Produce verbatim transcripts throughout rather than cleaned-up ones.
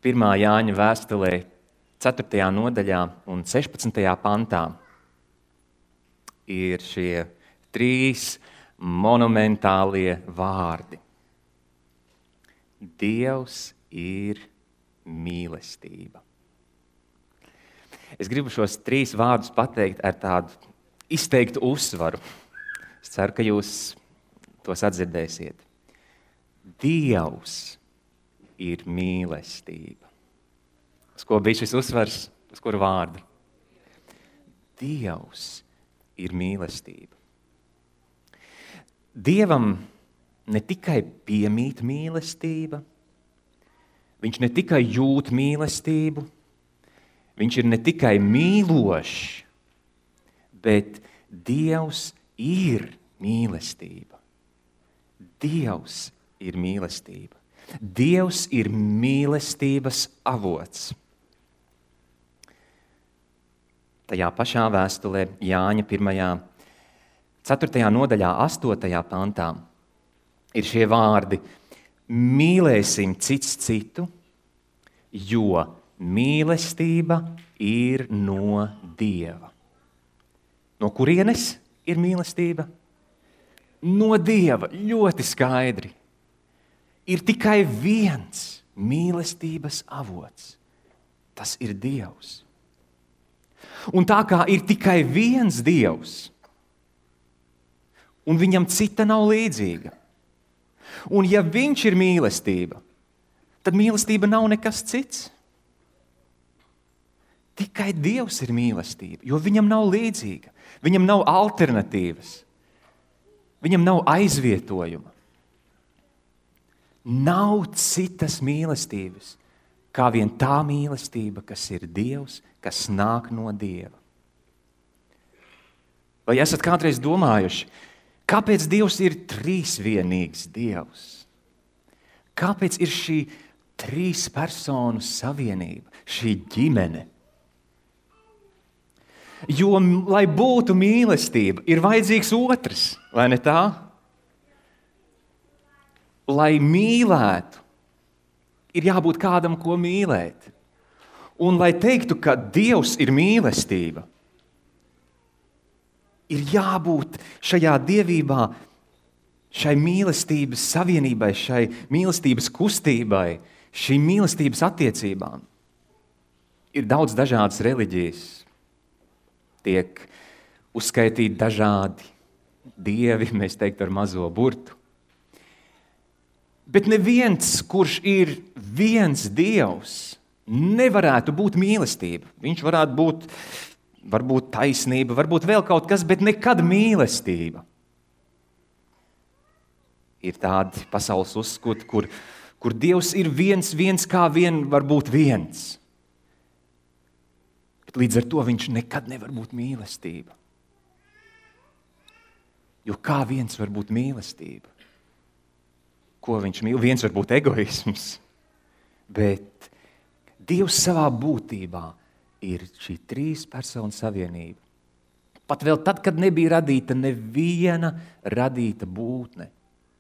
pirmā Jāņa vēstulē, ceturtajā nodaļā un sešpadsmitajā pantā ir šie trīs monumentālie vārdi. Dievs ir mīlestība. Es gribu šos trīs vārdus pateikt ar tādu izteiktu uzsvaru. Es ceru, ka jūs tos atdzirdēsiet. Dievs ir mīlestība. Uz ko bija šis uzsvars? Uz kuru vārdu? Dievs ir mīlestība. Dievam ne tikai piemīt mīlestība, viņš ne tikai jūt mīlestību, viņš ir ne tikai mīlošs, bet Dievs ir mīlestība. Dievs ir mīlestība. Dievs ir mīlestības avots. Tajā pašā vēstulē Jāņa pirmajā, ceturtajā nodaļā, astotajā pantā ir šie vārdi: mīlēsim cits citu, jo mīlestība ir no Dieva. No kurienes ir mīlestība? No Dieva, ļoti skaidri. Ir tikai viens mīlestības avots. Tas ir Dievs. Un tā kā ir tikai viens Dievs, un viņam cita nav līdzīga, un ja viņš ir mīlestība, tad mīlestība nav nekas cits. Tikai Dievs ir mīlestība, jo viņam nav līdzīga, viņam nav alternatīvas, viņam nav aizvietojuma. Nav citas mīlestības, kā vien tā mīlestība, kas ir Dievs, kas nāk no Dieva. Vai esat kādreiz domājuši, kāpēc Dievs ir trīsvienīgs Dievs? Kāpēc ir šī trīs personu savienība, šī ģimene? Jo, lai būtu mīlestība, ir vajadzīgs otrs, vai ne tā? Lai mīlētu, ir jābūt kādam, ko mīlēt. Un lai teiktu, ka Dievs ir mīlestība, ir jābūt šajā dievībā, šai mīlestības savienībai, šai mīlestības kustībai, šīm mīlestības attiecībām. Ir daudz dažādas reliģijas, tiek uzskaitīti dažādi dievi, mēs teiktu ar mazo burtu. Bet neviens, kurš ir viens Dievs, nevarētu būt mīlestība. Viņš varētu būt, varbūt taisnība, varbūt vēl kaut kas, bet nekad mīlestība. Ir tādi pasaules uzskati, kur, kur Dievs ir viens, viens kā vien var būt viens. Bet līdz ar to viņš nekad nevar būt mīlestība. Jo kā viens var būt mīlestība? Ko viņš mīl? Viens var būt egoisms, bet Dievs savā būtībā ir šī trīs personu savienība. Pat vēl tad, kad nebija radīta neviena radīta būtne,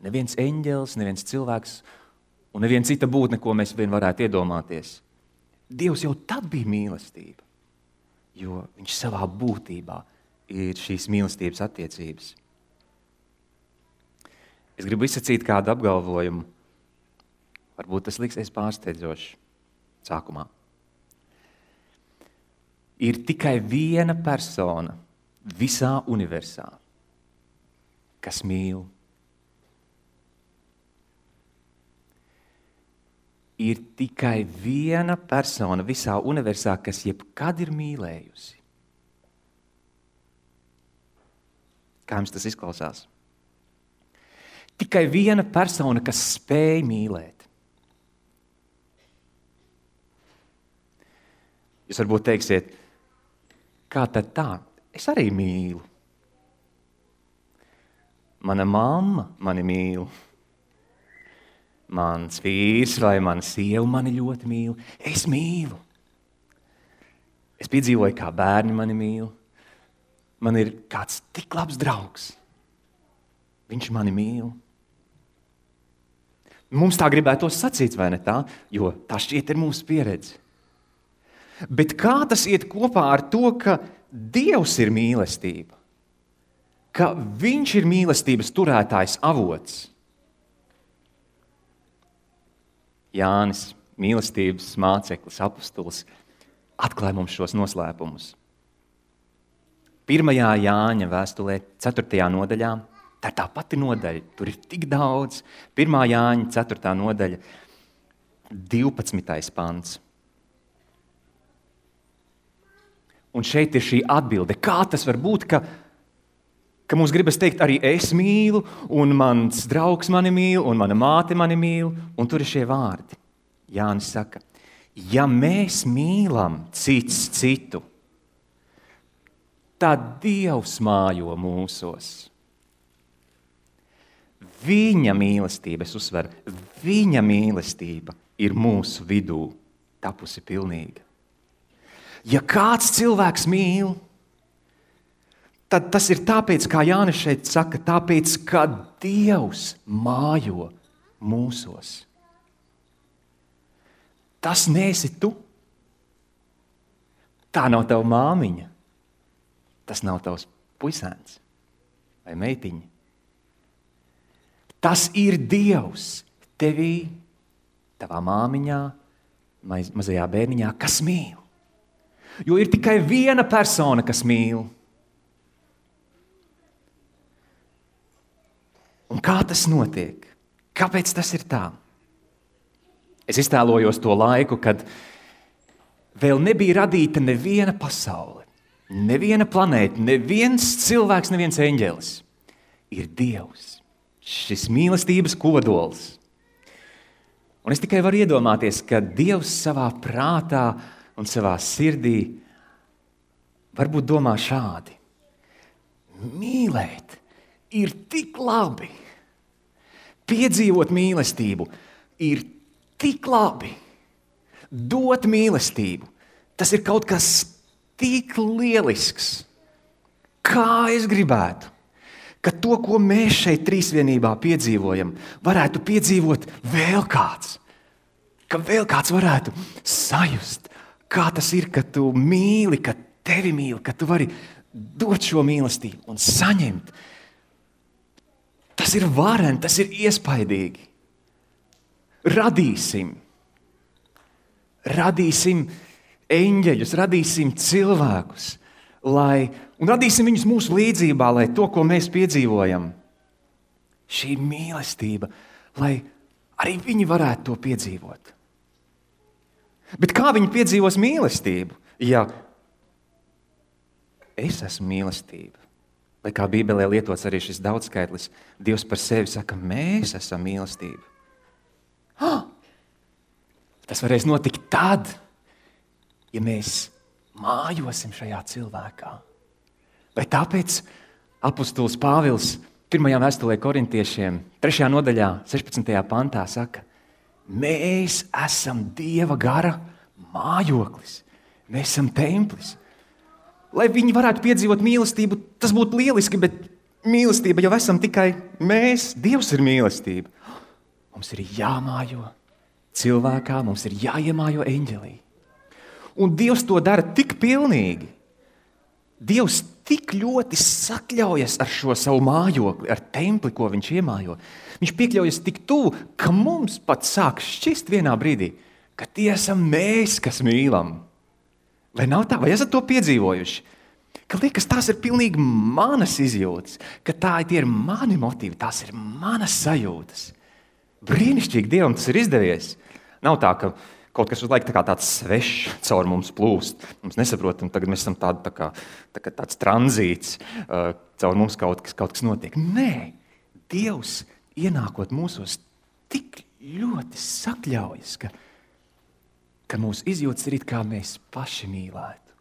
neviens eņģelis, neviens cilvēks un neviena cita būtne, ko mēs vien varētu iedomāties. Dievs jau tad bija mīlestība, jo viņš savā būtībā ir šīs mīlestības attiecības. Es gribu izsacīt kādu apgalvojumu. Varbūt tas liksies pārsteidzoši sākumā. Ir tikai viena persona visā universā, kas mīl. Ir tikai viena persona visā universā, kas jebkad ir mīlējusi. Kā jums tas izklausās? Tikai viena persona, kas spēj mīlēt. Jūs varbūt teiksiet, kā tad tā? Es arī mīlu. Mana mamma mani mīl. Mans vīrs vai mana sieva mani ļoti mīl. Es mīlu. Es piedzīvoju, kā bērni mani mīl. Man ir kāds tik labs draugs. Viņš mani mīl. Mums tā gribētos sacīt, vai ne tā? Jo tā šķiet ir mūsu pieredze. Bet kā tas iet kopā ar to, ka Dievs ir mīlestība? Ka viņš ir mīlestības turētājs avots? Jānis, mīlestības māceklis, apustulis, atklāja mums šos noslēpumus. Pirmajā Jāņa vēstulē, ceturtajā nodaļā, tā ir tā pati nodaļa, tur ir tik daudz. Pirmā Jāņa, ceturtā nodaļa, divpadsmitais pants. Un šeit ir šī atbilde. Kā tas var būt, ka, ka mums gribas teikt, arī es mīlu, un mans draugs mani mīl, un mana māte mani mīl, un tur ir šie vārdi. Jānis saka, ja mēs mīlam cits citu, tad Dievs mājo mūsos. Viņa mīlestība, es uzsveru, viņa mīlestība ir mūsu vidū tapusi pilnīga. Ja kāds cilvēks mīl, tad tas ir tāpēc, kā Jānis šeit saka, tāpēc, ka Dievs mājo mūsos. Tas neesi tu. Tā nav tava māmiņa. Tas nav tavs puisēns vai meitiņa. Tas ir Dievs tevī, tavā māmiņā, maz, mazajā bērniņā, kas mīl. Jo ir tikai viena persona, kas mīl. Un kā tas notiek? Kāpēc tas ir tā? Es iztēlojos to laiku, kad vēl nebija radīta neviena pasaule, neviena planēta, neviens cilvēks, neviens eņģelis. Ir Dievs, šis mīlestības kodols. Un es tikai varu iedomāties, ka Dievs savā prātā un savā sirdī varbūt domā šādi. Mīlēt ir tik labi. Piedzīvot mīlestību ir tik labi. Dot mīlestību, tas ir kaut kas tik lielisks. Kā es gribētu, ka to, ko mēs šeit trīsvienībā piedzīvojam, varētu piedzīvot vēl kāds. Ka vēl kāds varētu sajust, kā tas ir, ka tu mīli, ka tevi mīli, ka tu vari dot šo mīlestību un saņemt. Tas ir vareni, tas ir iespaidīgi. Radīsim. Radīsim eņģeļus, radīsim cilvēkus, lai, un radīsim viņus mūsu līdzībā, lai to, ko mēs piedzīvojam, šī mīlestība, lai arī viņi varētu to piedzīvot. Bet kā viņi piedzīvos mīlestību, ja es esmu mīlestība? Vai kā Bībelē lietots arī šis daudzskaitlis, Dievs par sevi saka, mēs esam mīlestība. Ah! Tas varēs notikt tad, ja mēs mājosim šajā cilvēkā. Vai tāpēc apustulis Pāvils pirmajā vēstulē korintiešiem, trešajā nodaļā, sešpadsmitajā pantā saka, mēs esam Dieva gara mājoklis, mēs esam templis. Lai viņi varētu piedzīvot mīlestību, tas būtu lieliski, bet mīlestība jau esam tikai mēs, Dievs ir mīlestība. Mums ir jāmājo cilvēkā, mums ir jāiemājo eņģelī. Un Dievs to dara tik pilnīgi. Dievs tik ļoti sakļaujas ar šo savu mājokli, ar templi, ko viņš iemājo. Viņš piekļaujas tik tuvu, ka mums pat sāk šķist vienā brīdī, ka tie esam mēs, kas mīlam. Vai nav tā? Vai esat to piedzīvojuši? Ka liekas, tās ir pilnīgi manas izjūtas, ka tā tie ir mani motīvi, tās ir manas sajūtas. Brīnišķīgi Dievam tas ir izdevies. Nav tā, ka kaut kas uz laiku tā kā tāds svešs caur mums plūst. Mums nesaprotam, tagad mēs esam tādi, tā kā, tā kā tāds tranzīts, uh, caur mums kaut kas, kaut kas notiek. Nē, Dievs ienākot mūsos tik ļoti sakļaujas, ka, ka mūsu izjūtas ir it kā mēs paši mīlētu.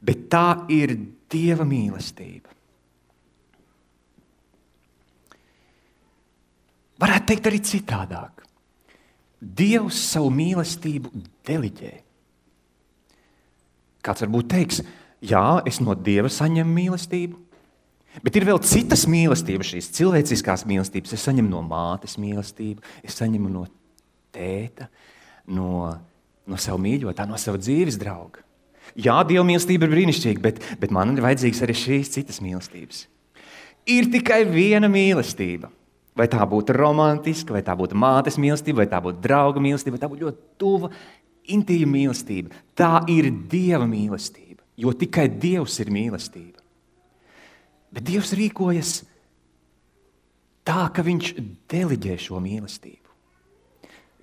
Bet tā ir Dieva mīlestība. Varētu teikt arī citādāk. Dievs savu mīlestību deliģē. Kāds varbūt teiks, jā, es no Dieva saņemu mīlestību, Bet ir vēl citas mīlestības, šīs cilvēciskās mīlestības. Es saņemu no mātes mīlestību, es saņemu no tēta, no, no savu mīļotā, no sava dzīves drauga. Jā, Dieva mīlestība ir brīnišķīga, bet, bet man ir vajadzīgas arī šīs citas mīlestības. Ir tikai viena mīlestība. Vai tā būtu romantiska, vai tā būtu mātes mīlestība, vai tā būtu drauga mīlestība, vai tā būtu ļoti tuva, intīma mīlestība. Tā ir Dieva mīlestība, jo tikai Dievs ir mīlestība. Bet Dievs rīkojas tā, ka viņš deliģē šo mīlestību.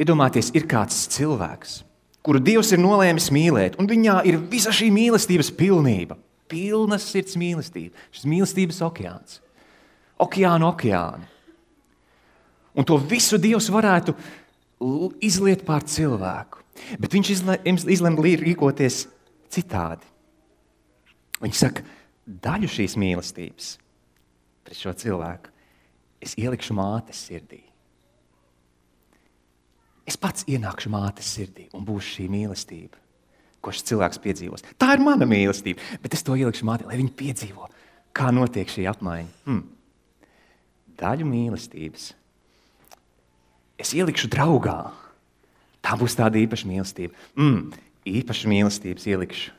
Iedomājieties, ir kāds cilvēks, kuru Dievs ir nolēmis mīlēt, un viņā ir visa šī mīlestības pilnība. Pilnas sirds mīlestība, šis mīlestības okeāns. Okeānu okeāni. Un to visu Dievs varētu izliet pār cilvēku. Bet viņš izlem rīkoties citādi. Viņš saka, daļu šīs mīlestības pret šo cilvēku es ielikšu mātes sirdī. Es pats ienākšu mātes sirdī un būšu šī mīlestība, ko šis cilvēks piedzīvos. Tā ir mana mīlestība, bet es to ielikšu mātei, lai viņi piedzīvo, kā notiek šī apmaiņa. Hmm. Daļu mīlestības es ielikšu draugā. Tā būs tāda īpaša mīlestība. Mm, īpaša mīlestības ielikšu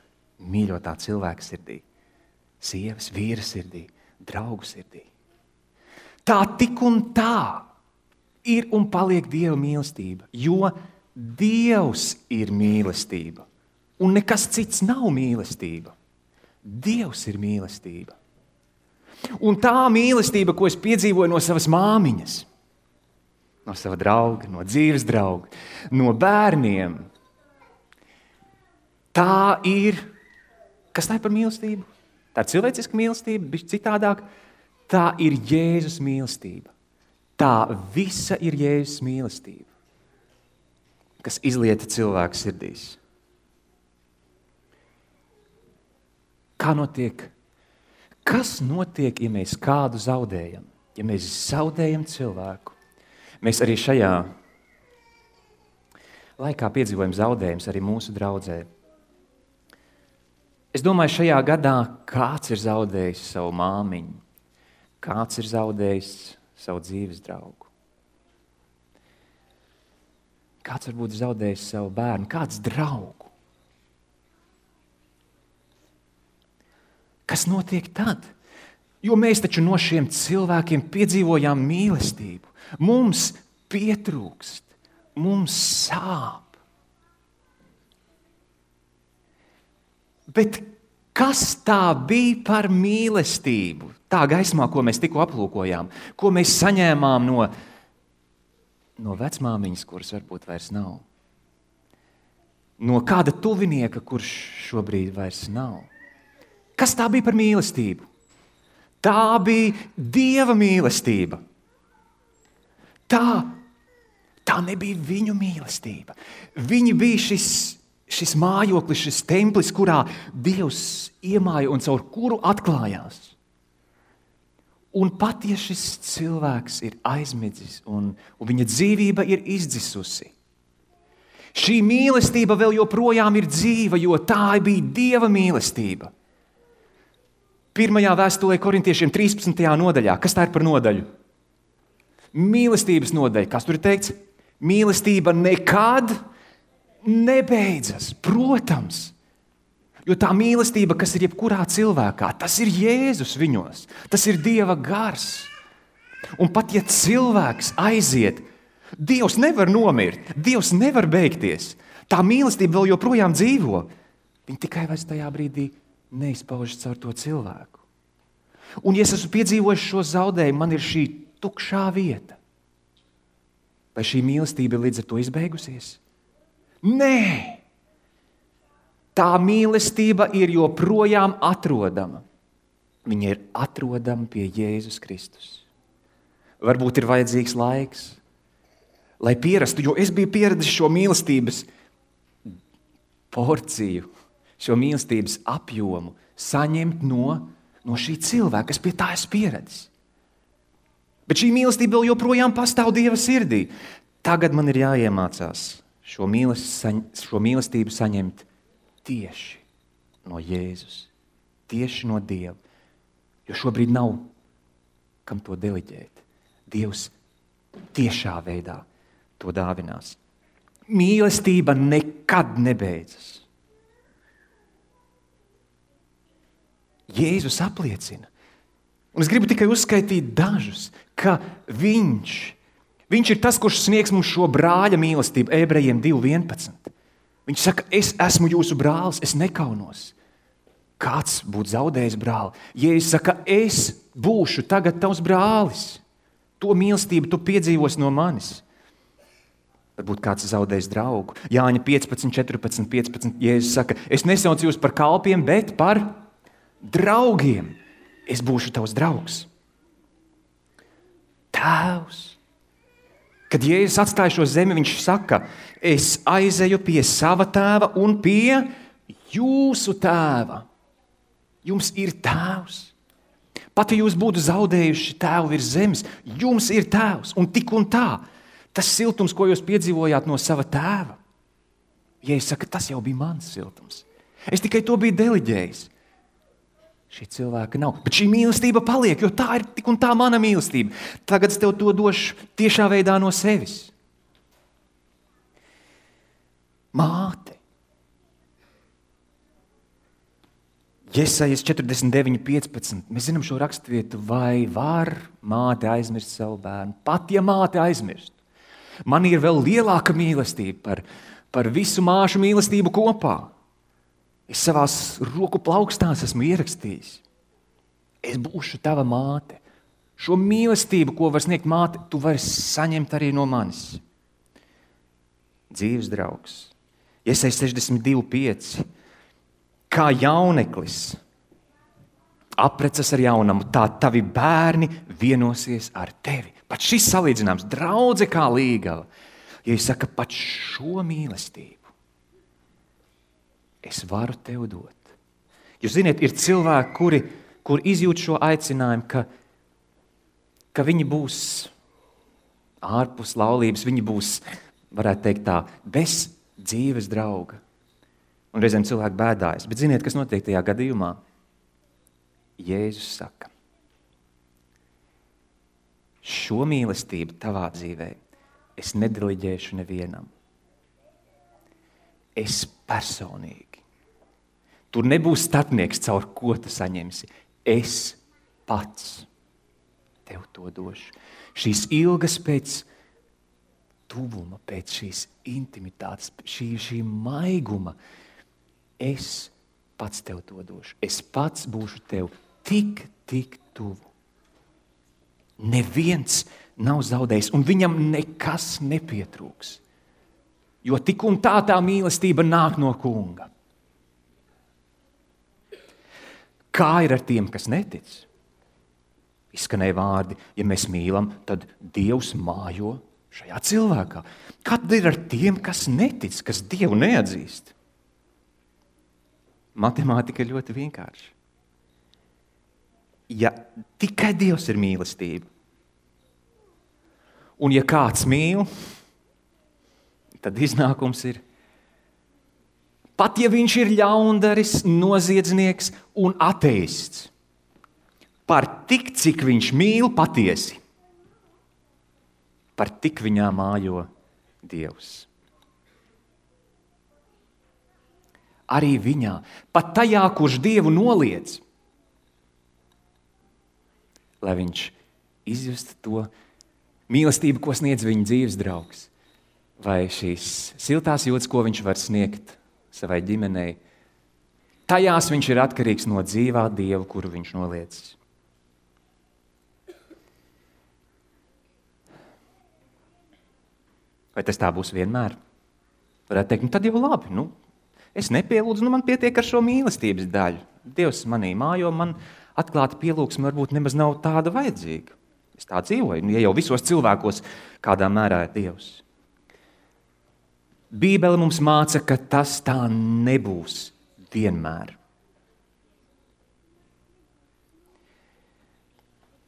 mīļotā cilvēka sirdī. Sievas, vīra sirdī, draugu sirdī. Tā tik un tā ir un paliek Dieva mīlestība, jo Dievs ir mīlestība. Un nekas cits nav mīlestība. Dievs ir mīlestība. Un tā mīlestība, ko es piedzīvoju no savas māmiņas, no sava drauga, no dzīves drauga, no bērniem, tā ir, kas tā ir par mīlestību? Tā ir cilvēciska mīlestība, bišķi citādāk, tā ir Jēzus mīlestība. Tā visa ir Jēzus mīlestība, kas izlieta cilvēku sirdīs. Kā notiek? Kas notiek, ja mēs kādu zaudējam? Ja mēs zaudējam cilvēku? Mēs arī šajā laikā piedzīvojam zaudējumus arī mūsu draudzē. Es domāju, šajā gadā kāds ir zaudējis savu māmiņu, kāds ir zaudējis savu dzīves draugu. Kāds varbūt zaudējis savu bērnu, kāds draugu. Kas notiek tad? Jo mēs taču no šiem cilvēkiem piedzīvojām mīlestību. Mums pietrūkst, mums sāp. Bet kas tā bija par mīlestību? Tā gaismā, ko mēs tikko aplūkojām, ko mēs saņēmām no, no vecmāmiņas, kuras varbūt vairs nav. No kāda tuvinieka, kurš šobrīd vairs nav. Kas tā bija par mīlestību? Tā bija Dieva mīlestība. Tā, tā nebija viņu mīlestība. Viņi bija šis, šis mājoklis, šis templis, kurā Dievs iemāja un caur kuru atklājās. Un pat ja šis cilvēks ir aizmidzis un, un viņa dzīvība ir izdzisusi, šī mīlestība vēl joprojām ir dzīva, jo tā bija Dieva mīlestība. Pirmajā vēstulē korintiešiem trīspadsmitajā nodaļā. Kas tā ir par nodaļu? Mīlestības nodaļa. Kas tur ir teikts? Mīlestība nekad nebeidzas. Protams. Jo tā mīlestība, kas ir jebkurā cilvēkā, tas ir Jēzus viņos. Tas ir Dieva gars. Un pat ja cilvēks aiziet, Dievs nevar nomirt. Dievs nevar beigties. Tā mīlestība vēl joprojām dzīvo. Viņa tikai vairs tajā brīdī neizpaužas caur to cilvēku. Un ja es esmu piedzīvojis šo zaudējumu, man ir šī tukšā vieta. Vai šī mīlestība ir līdz ar to izbeigusies? Nē! Tā mīlestība ir joprojām atrodama. Viņa ir atrodama pie Jēzus Kristus. Varbūt ir vajadzīgs laiks, lai pierastu, jo es biju pieredzis šo mīlestības porciju, šo mīlestības apjomu saņemt no, no šī cilvēka, kas pie tā es pieredzis. Bet šī mīlestība vēl joprojām pastāv Dieva sirdī. Tagad man ir jāiemācās šo, mīlest, šo mīlestību saņemt tieši no Jēzus, tieši no Dieva. Jo šobrīd nav kam to deliģēt. Dievs tiešā veidā to dāvinās. Mīlestība nekad nebeidzas. Jēzus apliecina, un es gribu tikai uzskaitīt dažus, ka viņš, viņš ir tas, kurš sniegs mums šo brāļa mīlestību, Ebrejiem divi vienpadsmit. Viņš saka, es esmu jūsu brālis, es nekaunos. Kāds būtu zaudējis brāli? Jēzus saka, es būšu tagad tavs brālis. To mīlestību tu piedzīvos no manis. Varbūt kāds zaudējis draugu. Jāņa piecpadsmit, četrpadsmit, piecpadsmit. Jēzus saka, es nesaucu jūs par kalpiem, bet par draugiem. Es būšu tavs draugs. Tēvs. Kad Jēzus atstāja šo zemi, viņš saka, es aizeju pie sava tēva un pie jūsu tēva. Jums ir tēvs. Pat ja jūs būtu zaudējuši tēvu virs zemes, jums ir tēvs. Un tik un tā, tas siltums, ko jūs piedzīvojāt no sava tēva, Jēzus saka, tas jau bija mans siltums. Es tikai to biju deliģējis. Šī cilvēka nav. Bet šī mīlestība paliek, jo tā ir tik un tā mana mīlestība. Tagad es tev to došu tiešā veidā no sevis. Māte. Jesajas četrdesmit deviņi, piecpadsmit. Mēs zinām šo raksturvietu, vai var māte aizmirst savu bērnu? Pat ja māte aizmirst. Man ir vēl lielāka mīlestība par, par visu māšu mīlestību kopā. Es savās roku plaukstās esmu ierakstījis. Es būšu tava māte. Šo mīlestību, ko var sniegt māte, tu vari saņemt arī no manis. Dzīves draugs. Jesajas sešdesmit divi, pieci. Kā jauneklis aprecas ar jaunamu, tā tavi bērni vienosies ar tevi. Pat šis salīdzinājums, draudze kā līgava. Ja es saka, pat šo mīlestību es varu tev dot. Jūs ziniet, ir cilvēki, kuri, kuri izjūt šo aicinājumu, ka, ka viņi būs ārpus laulības, viņi būs, varētu teikt tā, bez dzīves drauga. Un reizēm cilvēki bēdājas. Bet ziniet, kas notiek tajā gadījumā? Jēzus saka, šo mīlestību tavā dzīvē es nedeliģēšu nevienam. Es personīgi. Tur nebūs starpnieks, caur ko tu saņemsi. Es pats tev to došu. Šīs ilgas pēc tuvuma, pēc šīs intimitātes, šī, šī maiguma, es pats tev to došu. Es pats būšu tev tik, tik tuvu. Neviens nav zaudējis, un viņam nekas nepietrūks. Jo tik un tā tā mīlestība nāk no Kunga. Kā ir ar tiem, kas netic? Izskanēja vārdi, ja mēs mīlam, tad Dievs mājo šajā cilvēkā. Kā tad ir ar tiem, kas netic, kas Dievu neatzīst? Matemātika ir ļoti vienkārša. Ja tikai Dievs ir mīlestība, un ja kāds mīl, tad iznākums ir, pat ja viņš ir ļaundaris, noziedznieks un ateists, par tik, cik viņš mīl patiesi, par tik viņā mājo Dievs. Arī viņā, pat tajā, kurš Dievu noliedz, lai viņš izjustu to mīlestību, ko sniedz viņa dzīves draugs, vai šīs siltās jūtas, ko viņš var sniegt savai ģimenei, tajās viņš ir atkarīgs no dzīvā Dieva, kuru viņš noliedz. Vai tas tā būs vienmēr? Varētu teikt, nu tad jau labi, nu, es nepielūdzu, nu man pietiek ar šo mīlestības daļu. Dievs manī mājo, man atklāta pielūgsme varbūt nemaz nav tāda vajadzīga. Es tā dzīvoju, nu, ja jau visos cilvēkos kādā mērā ir Dievs. Bībele mums māca, ka tas tā nebūs vienmēr.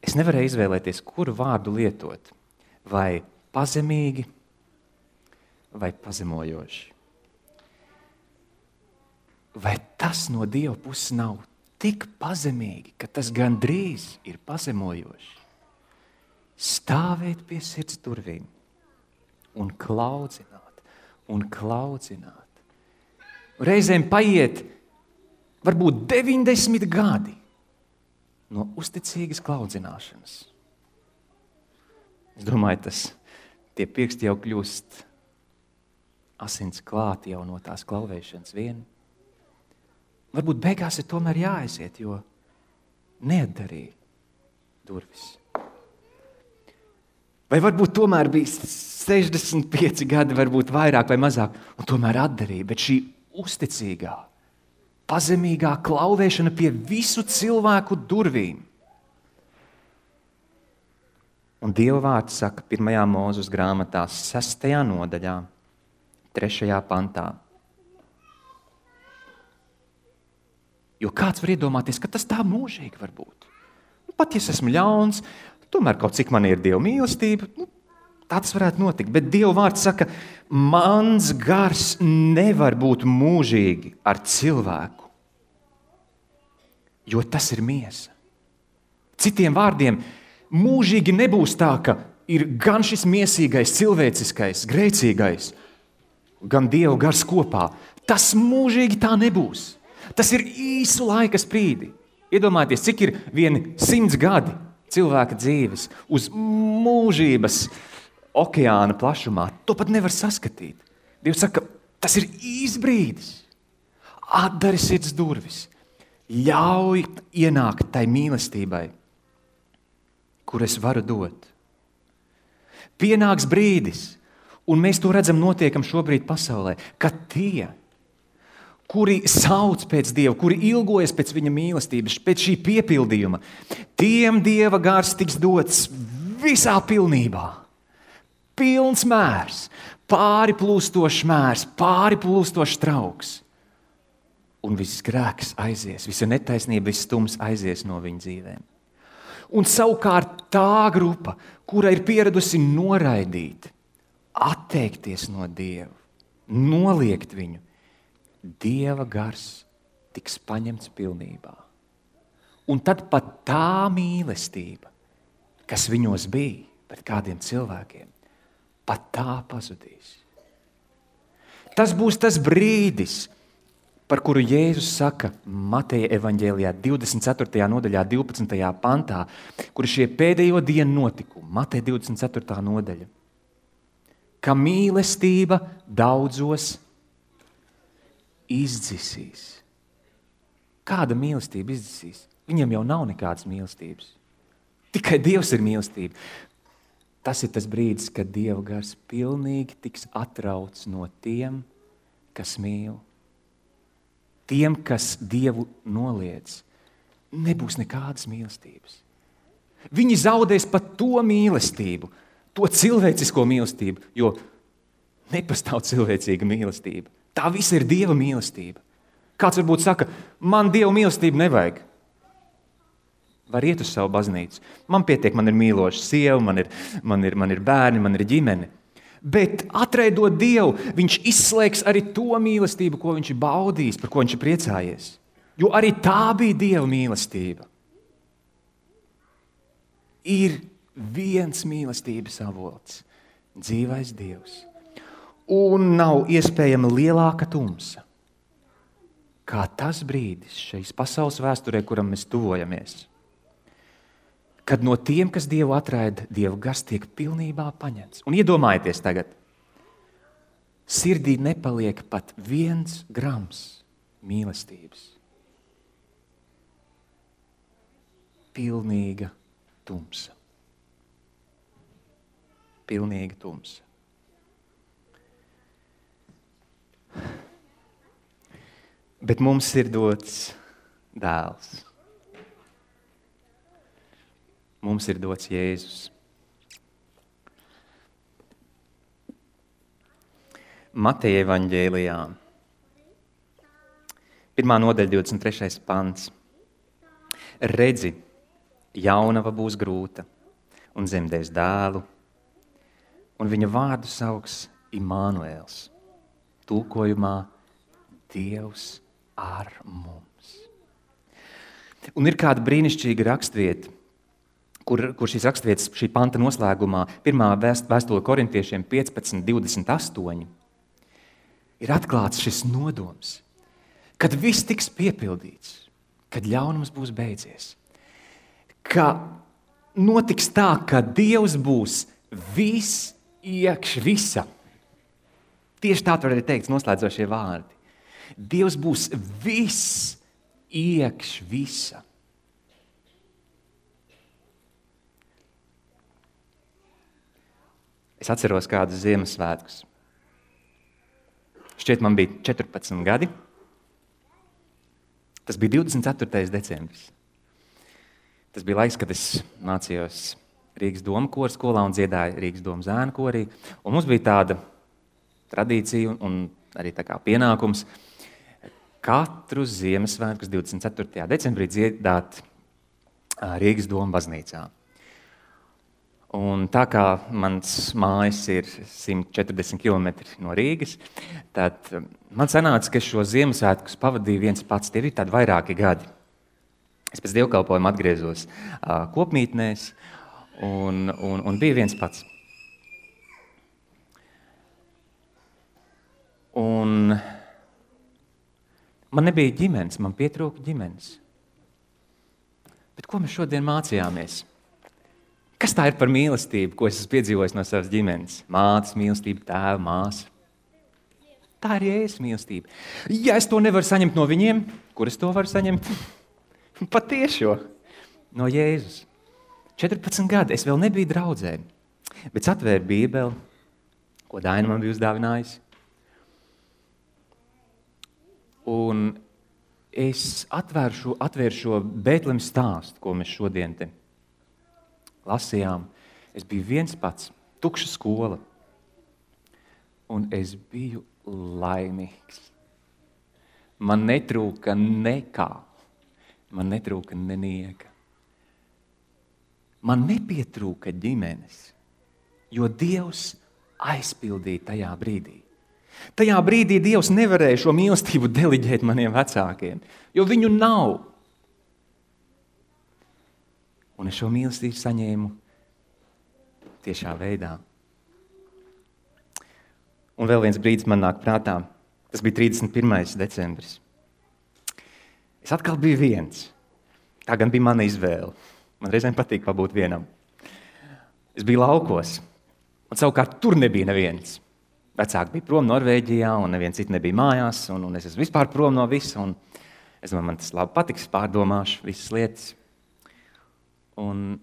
Es nevarēju izvēlēties, kuru vārdu lietot, vai pazemīgi, vai pazemojoši. Vai tas no Dieva puses nav tik pazemīgi, ka tas gandrīz ir pazemojoši. Stāvēt pie sirds durvīm un klaudzināt, un klaudzināt. Reizēm paiet varbūt deviņdesmit gadi no uzticīgas klaudzināšanas. Es domāju, tas tie pirksti jau kļūst asins klāti jau no tās klauvēšanas vien. Varbūt beigās ir tomēr jāaiziet, jo neatdarīja durvis. Vai varbūt tomēr bija sešdesmit pieci gadi, varbūt vairāk vai mazāk, un tomēr atdarīja, bet šī uzticīgā, pazemīgā klauvēšana pie visu cilvēku durvīm. Un Dieva vārds saka pirmajā Mūzes grāmatā, sestajā nodaļā, trešajā pantā. Jo kāds var iedomāties, ka tas tā mūžīgi var būt. Nu, pat ja es esmu ļauns, tomēr kaut cik man ir Dieva mīlestība, nu, tāds varētu notikt. Bet Dieva vārds saka, mans gars nevar būt mūžīgi ar cilvēku, jo tas ir miesa. Citiem vārdiem, mūžīgi nebūs tā, ka ir gan šis miesīgais, cilvēciskais, grēcīgais, gan Dieva gars kopā. Tas mūžīgi tā nebūs. Tas ir īsu laika sprīdi. Iedomājieties, cik ir vieni simts gadi cilvēka dzīves uz mūžības okeāna plašumā. To pat nevar saskatīt. Dievs saka, tas ir īs brīdis. Atdari sirds durvis. Ļauj ienākt tai mīlestībai, kur es varu dot. Pienāks brīdis, un mēs to redzam notiekam šobrīd pasaulē, ka tie, kuri sauc pēc Dieva, kuri ilgojas pēc viņa mīlestības, pēc šī piepildījuma, tiem Dieva gars tiks dots visā pilnībā. Pilns mērs, pāri plūstošs mērs, pāri plūstošs trauks. Un viss grēks aizies, visa netaisnība, viss stums aizies no viņa dzīvēm. Un savukārt tā grupa, kura ir pieradusi noraidīt, atteikties no Dieva, noliegt viņu, Dieva gars tiks paņemts pilnībā. Un tad pat tā mīlestība, kas viņos bija pret kādiem cilvēkiem, pat tā pazudīs. Tas būs tas brīdis, par kuru Jēzus saka Mateja evaņģēlijā divdesmit ceturtajā nodaļā, divpadsmitajā pantā, kur šie pēdējo dienu notikumi, Mateja divdesmit ceturtā nodaļa, ka mīlestība daudzos izdzisīs. Kāda mīlestība izdzisīs? Viņam jau nav nekādas mīlestības. Tikai Dievs ir mīlestība. Tas ir tas brīdis, kad Dieva gars pilnīgi tiks atrauts no tiem, kas mīl. Tiem, kas Dievu noliedz, nebūs nekādas mīlestības. Viņi zaudēs pat to mīlestību, to cilvēcisko mīlestību, jo nepastāv cilvēcīga mīlestība. Tā visa ir Dieva mīlestība. Kāds varbūt saka, man Dieva mīlestība nevajag. Var iet uz savu baznīcu. Man pietiek, man ir mīloša sieva, man ir, man ir, man ir bērni, man ir ģimene. Bet atraidot Dievu, viņš izslēgs arī to mīlestību, ko viņš ir baudījis, par ko viņš ir priecājies. Jo arī tā bija Dieva mīlestība. Ir viens mīlestības avots, dzīvais Dievs. Un nav iespējama lielāka tumsa, kā tas brīdis šīs pasaules vēsturē, kuram mēs tuvojamies, kad no tiem, kas Dievu atraida, Dieva gars tiek pilnībā paņemts. Un iedomājieties tagad, sirdī nepaliek pat viens grams mīlestības. Pilnīga tumsa. Pilnīga tumsa. Bet mums ir dots dēls. Mums ir dots Jēzus. Mateja evaņģēlijā, pirmā nodaļa, divdesmit trešais pants. Redzi, jaunava būs grūta un dzemdēs dēlu, un viņa vārdu sauks Imānuēls. Tulkojumā Dievs ar mums. Un ir kāda brīnišķīga rakstvieta, kur, kur šīs rakstvietas, šī panta noslēgumā, pirmā vēst, vēstule korintiešiem piecpadsmit divdesmit astoņi, ir atklāts šis nodoms, kad viss tiks piepildīts, kad ļaunums būs beidzies, ka notiks tā, ka Dievs būs viss iekš visa. Tieši tā var arī teikt noslēdzošie vārdi. Dievs būs viss iekš visa. Es atceros kādus Ziemassvētkus. Šķiet, man bija četrpadsmit gadi. Tas bija divdesmit ceturtais decembris. Tas bija laiks, kad es mācījos Rīgas doma kora skolā un dziedāju Rīgas doma zēnu korī. Un mums bija tāda tradīcija un arī tā kā pienākums katru Ziemassvētkus divdesmit ceturtajā decembrī dziedāt Rīgas doma baznīcā. Un tā kā mans mājas ir simt četrdesmit kilometri no Rīgas, tad man sanāca, ka šo Ziemassvētkus pavadīju viens pats. Tie ir tādi vairāki gadi. Es pēc dievkalpojuma atgriezos uh, kopmītnēs un, un, un biju viens pats. Un man nebija ģimenes, man pietrūka ģimenes. Bet ko mēs šodien mācījāmies? Kas tā ir par mīlestību, ko es esmu piedzīvojis no savas ģimenes? Mātes mīlestība, tēva, māsa. Tā ir Jēzus mīlestība. Ja es to nevaru saņemt no viņiem, kur es to varu saņemt? Patiešo, no Jēzus. četrpadsmit gadi, es vēl nebiju draudzē, bet atvēru Bībeli, ko Daina man bija uzdāvinājusi. Un es atvēru šo, atvēru šo Bētlemes stāstu, ko mēs šodien te lasījām. Es biju viens pats, tukša skola, un es biju laimīgs. Man netrūka nekā, man netrūka nenieka. Man nepietrūka ģimenes, jo Dievs aizpildīja tajā brīdī. Tajā brīdī Dievs nevarēja šo mīlestību deliģēt maniem vecākiem, jo viņu nav. Un es šo mīlestību saņēmu tiešā veidā. Un vēl viens brīdis man nāk prātā. Tas bija trīsdesmit pirmais decembris. Es atkal biju viens. Tā gan bija mana izvēle. Man reizēm patīk pabūt vienam. Es biju laukos, un savukārt tur nebija neviens. Vecāki bija prom Norvēģijā, un neviens cits nebija mājās, un, un es esmu vispār prom no visa, un es domāju, man tas labi patiks, pārdomāšu visas lietas. Un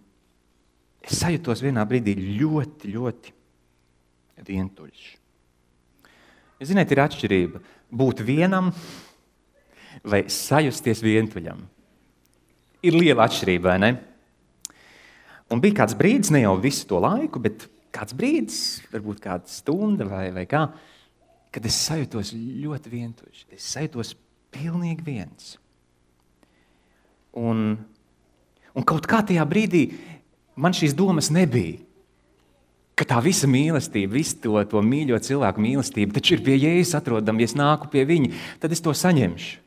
es sajūtos vienā brīdī ļoti, ļoti vientuļš. Jūs zināt, ir atšķirība būt vienam vai sajusties vientuļam. Ir liela atšķirība, vai ne? Un bija kāds brīdis, ne jau visu to laiku, bet kāds brīdis, varbūt kāda stunda vai, vai kā, kad es sajūtos ļoti vientuļš. Es sajūtos pilnīgi viens. Un Un kaut kā tajā brīdī man šīs domas nebija, ka tā visa mīlestība, visu to, to mīļo cilvēku mīlestība, taču ir pie Jēzus atrodama, ja es nāku pie viņa, tad es to saņemšu.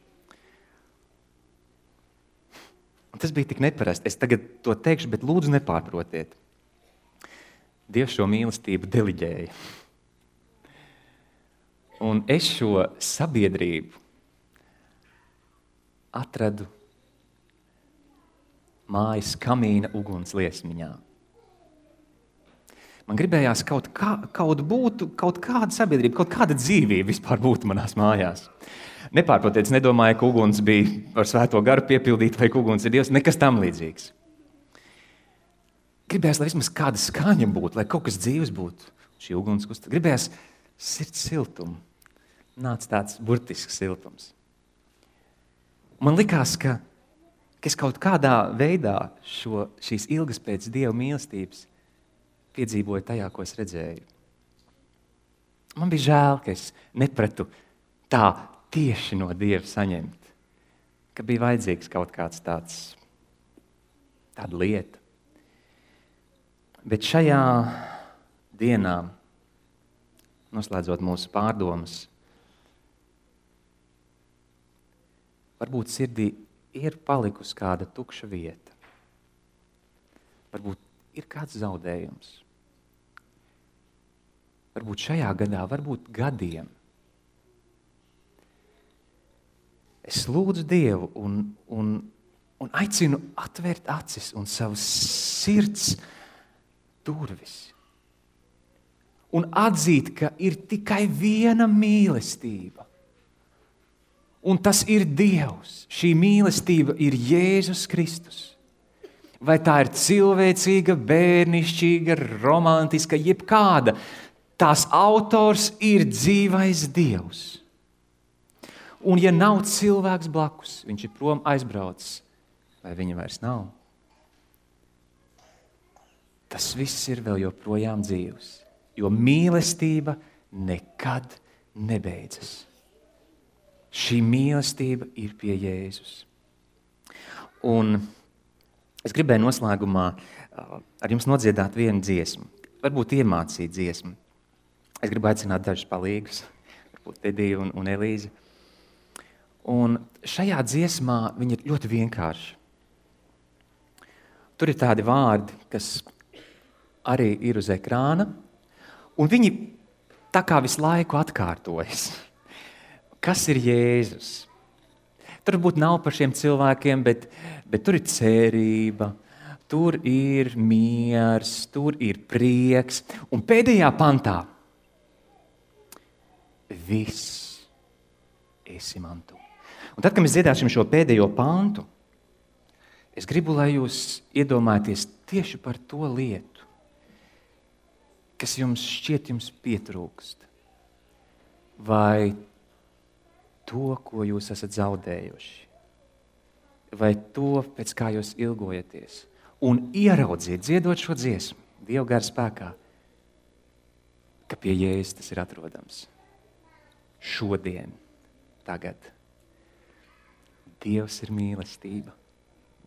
Un tas bija tik neparasti. Es tagad to teikšu, bet lūdzu nepārprotiet. Dievs šo mīlestību deliģēja. Un es šo sabiedrību atradu mājas kamīna uguns liesmiņā. Man gribējās kaut, kā, kaut būtu, kaut kāda sabiedrība, kaut kāda dzīvība vispār būtu manās mājās. Nepārprotiet, es nedomāju, ka uguns bija ar svēto garu piepildīta vai ka uguns ir Dievs, nekas tam līdzīgs. Gribējās, lai vismaz kāda skaņa būtu, lai kaut kas dzīves būtu. Šī uguns kustas. Gribējās sirds siltumu. Nāca tāds burtisks siltums. Man likās, ka ka es kaut kādā veidā šo, šīs ilgas pēc Dieva mīlestības piedzīvoju tajā, ko es redzēju. Man bija žēl, ka es nepratu tā tieši no Dieva saņemt, ka bija vajadzīgs kaut kāds tāds, tāda lieta. Bet šajā dienā, noslēdzot mūsu pārdomas, varbūt sirdī ir palikusi kāda tukša vieta. Varbūt ir kāds zaudējums. Varbūt šajā gadā, varbūt gadiem. Es lūdzu Dievu un, un, un aicinu atvērt acis un savas sirds durvis. Un atzīt, ka ir tikai viena mīlestība. Un tas ir Dievs. Šī mīlestība ir Jēzus Kristus. Vai tā ir cilvēcīga, bērnišķīga, romantiska, jebkāda, tās autors ir dzīvais Dievs. Un ja nav cilvēks blakus, viņš ir prom aizbraucis, vai viņa vairs nav, tas viss ir vēl joprojām dzīvs, jo mīlestība nekad nebeidzas. Šī mīlestība ir pie Jēzus. Un es gribēju noslēgumā ar jums nodziedāt vienu dziesmu, varbūt iemācīt dziesmu. Es gribu aicināt dažus palīgus, varbūt Tediju un, un Elīzi. Un šajā dziesmā viņa ir ļoti vienkārša. Tur ir tādi vārdi, kas arī ir uz ekrāna, un viņi tā kā visu laiku atkārtojas. Kas ir Jēzus? Tur varbūt nav par šiem cilvēkiem, bet, bet tur ir cerība, tur ir miers, tur ir prieks. Un pēdējā pantā viss esi man tu. Un tad, kad mēs dziedāsim šo pēdējo pantu, es gribu, lai jūs iedomājaties tieši par to lietu, kas jums šķiet jums pietrūkst. Vai to, ko jūs esat zaudējuši. Vai to, pēc kā jūs ilgojaties. Un ieraudziet, dziedot šo dziesmu, Dieva gara spēkā, ka pie Jēzus tas ir atrodams. Šodien, tagad. Dievs ir mīlestība.